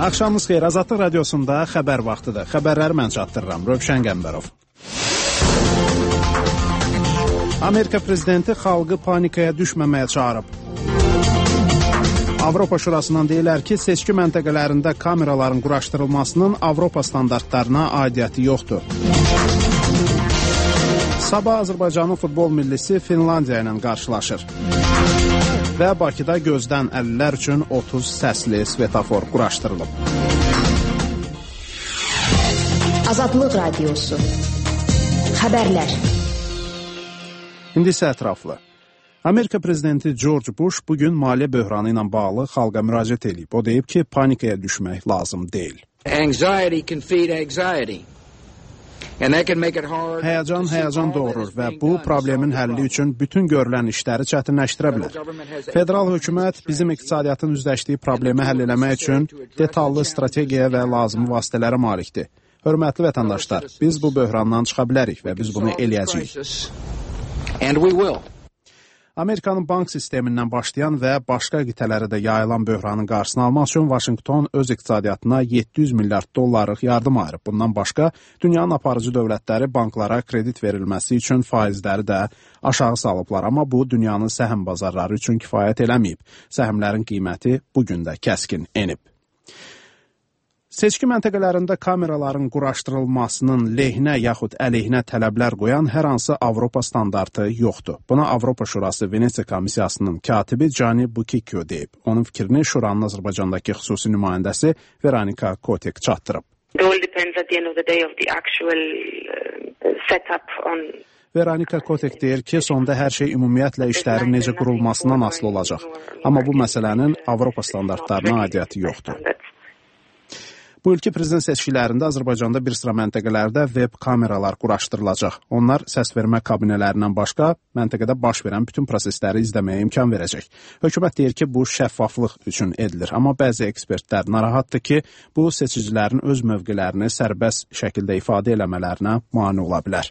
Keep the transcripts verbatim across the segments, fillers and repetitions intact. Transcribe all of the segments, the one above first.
Axşamınız xeyir. Azadlıq radiosunda xəbər vaxtıdır. Xəbərləri mən çatdırıram. Rövşən Qəmbərov. Amerika prezidenti xalqı panikaya düşməməyə çağırıb. Avropa Şurasından deyirlər ki, seçki məntəqələrində kameraların quraşdırılmasının Avropa standartlarına aidiyyəti yoxdur. Sabah Azərbaycanın futbol millisi Finlandiya ilə qarşılaşır. Və Bakıda gözdən əlillər üçün otuz səsli svetofor quraşdırılıb. Azadlıq Radiosu. Xəbərlər. İndi isə ətraflı. Amerika prezidenti George Bush bugün maliyyə böhranı ilə bağlı xalqa müraciət edib. O deyib ki, panikaya düşmək lazım deyil. Anxiety can feed anxiety. Həyəcan həyəcan doğurur və bu problemin həlli üçün bütün görülən işləri çətinləşdirə bilər. Federal hökumət bizim iqtisadiyyatın üzləşdiyi problemi həll eləmək üçün detallı strategiya və lazımi vasitələrə malikdir. Hörmətli vətəndaşlar, biz bu böhrandan çıxa bilərik və biz bunu eləyəcəyik. Amerikanın bank sistemindən başlayan və başqa qitələrə də yayılan böhranın qarşısını almaq üçün Vaşinqton öz iqtisadiyyatına yeddi yüz milyard dollarlıq yardım ayırıb. Bundan başqa, dünyanın aparıcı dövlətləri banklara kredit verilməsi üçün faizləri də aşağı salıblar. Amma bu, dünyanın səhm bazarları üçün kifayət eləməyib. Səhmlərin qiyməti bugün də kəskin enib. Seçki məntəqələrində kameraların quraşdırılmasının lehinə yaxud əleyhinə tələblər qoyan hər hansı Avropa standartı yoxdur. Buna Avropa Şurası Venesiya Komissiyasının katibi Gianni Bucicchio deyib. Onun fikrini Şuranın Azərbaycandakı xüsusi nümayəndəsi Veronika Kotek çatdırıb. Veronika Kotek deyir ki, sonda hər şey ümumiyyətlə işlərin necə qurulmasından asılı olacaq. Amma bu məsələnin Avropa standartlarına aidiyyəti yoxdur. Bu ilki prezident seçkilərində Azərbaycanda bir sıra məntəqələrdə web kameralar quraşdırılacaq. Onlar səsvermə kabinələrindən başqa məntəqədə baş verən bütün prosesləri izləməyə imkan verəcək. Hökumət deyir ki, bu şəffaflıq üçün edilir. Amma bəzi ekspertlər narahatdır ki, bu seçicilərin öz mövqelərini sərbəst şəkildə ifadə eləmələrinə mane ola bilər.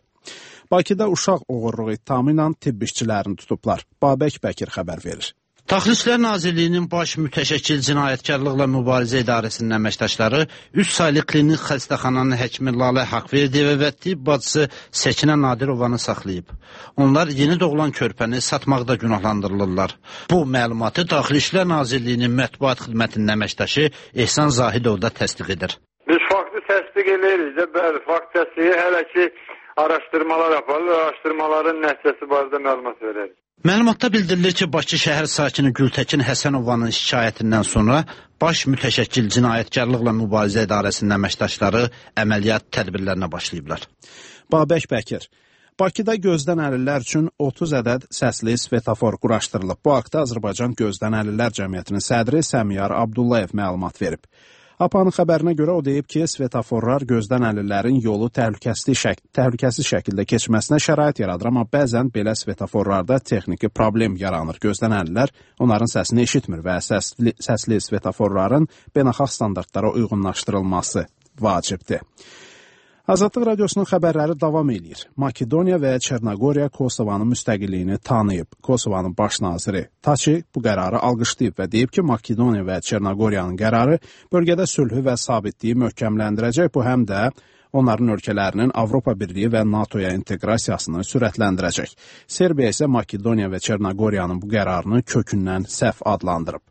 Bakıda uşaq oğurluğu ittihamı ilə tibb işçilərini tutublar. Babək Bəkir xəbər verir. Daxili İşlər Nazirliyinin baş mütəşəkkil cinayətkarlıqla mübarizə idarəsinin əməkdaşları üç saylı klinik xəstəxananın həkimi Lalə Haqverdiyeva və tibb bacısı Səkinə Nadirovanı saxlayıb. Onlar yeni doğulan körpəni satmaqda günahlandırılırlar. Bu məlumatı Daxili İşlər Nazirliyinin mətbuat xidmətinin əməkdaşı Ehsan Zahidov da təsdiq edir. Biz faktı təsdiq edirik də, bəli, fakt təsdiqi hələ ki araşdırmalar yapılır, araşdırmaların nəticəsi barədə məlumat verərik. Məlumatda bildirilir ki, Bakı şəhər sakini Gültəkin Həsənovanın şikayətindən sonra baş mütəşəkkil cinayətkarlıqla mübarizə idarəsinin əməkdaşları əməliyyat tədbirlərinə başlayıblar. Babək Bəkir. Bakıda gözdən əlillər üçün otuz ədəd səsli svetofor quraşdırılıb. Bu haqda Azərbaycan Gözdən Əlillər Cəmiyyətinin sədri Səmiyar Abdullayev məlumat verib. A P A-nın xəbərinə görə o deyib ki, svetoforlar gözdən əlillərin yolu təhlükəsiz, şək təhlükəsiz şəkildə keçməsinə şərait yaradır, amma bəzən belə svetoforlarda texniki problem yaranır. Gözdən əlillər onların səsini eşitmir və səsli, səsli svetoforların beynəlxalq standartlara uyğunlaşdırılması vacibdir. Azadlıq Radiosunun xəbərləri davam edir. Makedoniya və Çernogoriya Kosovanın müstəqilliyini tanıyıb. Kosovanın baş naziri Taçi bu qərarı alqışlayıb və deyib ki, Makedoniya və Çernogoriyanın qərarı bölgədə sülhü və sabitliyi möhkəmləndirəcək. Bu həm də onların ölkələrinin Avropa Birliyi və NATOya inteqrasiyasını sürətləndirəcək. Serbiya isə Makedoniya və Çernogoriyanın bu qərarını kökündən səhv adlandırıb.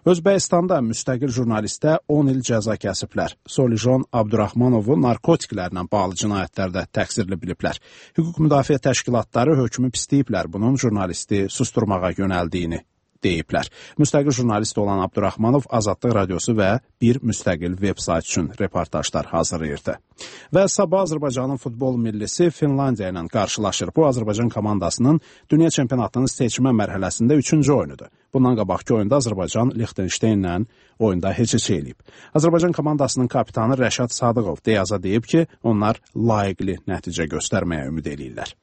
Özbəkistanda müstəqil jurnalistə on il cəza kəsiblər. Solijon Abdurrahmanovu narkotiklərlə bağlı cinayətlərdə təqsirli biliblər. Hüquq müdafiə təşkilatları hökmü pisləyiblər, bunun jurnalisti susturmağa yönəldiyini deyiblər. Müstəqil jurnalist olan Abdurrahmanov Azadlıq Radiosu və bir müstəqil veb-sayt üçün reportajlar hazırlayırdı. Və sabah Azərbaycanın futbol millisi Finlandiya ilə qarşılaşır. Bu, Azərbaycan komandasının dünya çempionatının seçmə mərhələsində üçüncü oyunudur. Bundan qabaqki oyunda Azərbaycan Liechtensteinlə oyunda heç-heç eləyib. Azərbaycan komandasının kapitanı Rəşad Sadıqov deyaza deyib ki, onlar layiqli nəticə göstərməyə ümid eləyirlər.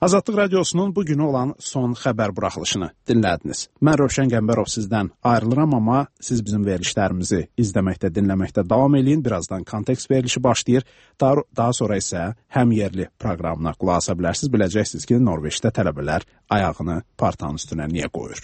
Azadlıq Radiosunun bugünü olan son xəbər buraxılışını dinlədiniz. Mən Rövşən Qəmbərov sizdən ayrılıram, amma siz bizim verilişlərimizi izləməkdə, dinləməkdə davam eləyin. Birazdan kontekst verilişi başlayır. Daha, daha sonra isə həm yerli proqramına qulaq asa bilərsiniz. Biləcəksiniz ki, Norveçdə tələbələr ayağını partanın üstünə niyə qoyur?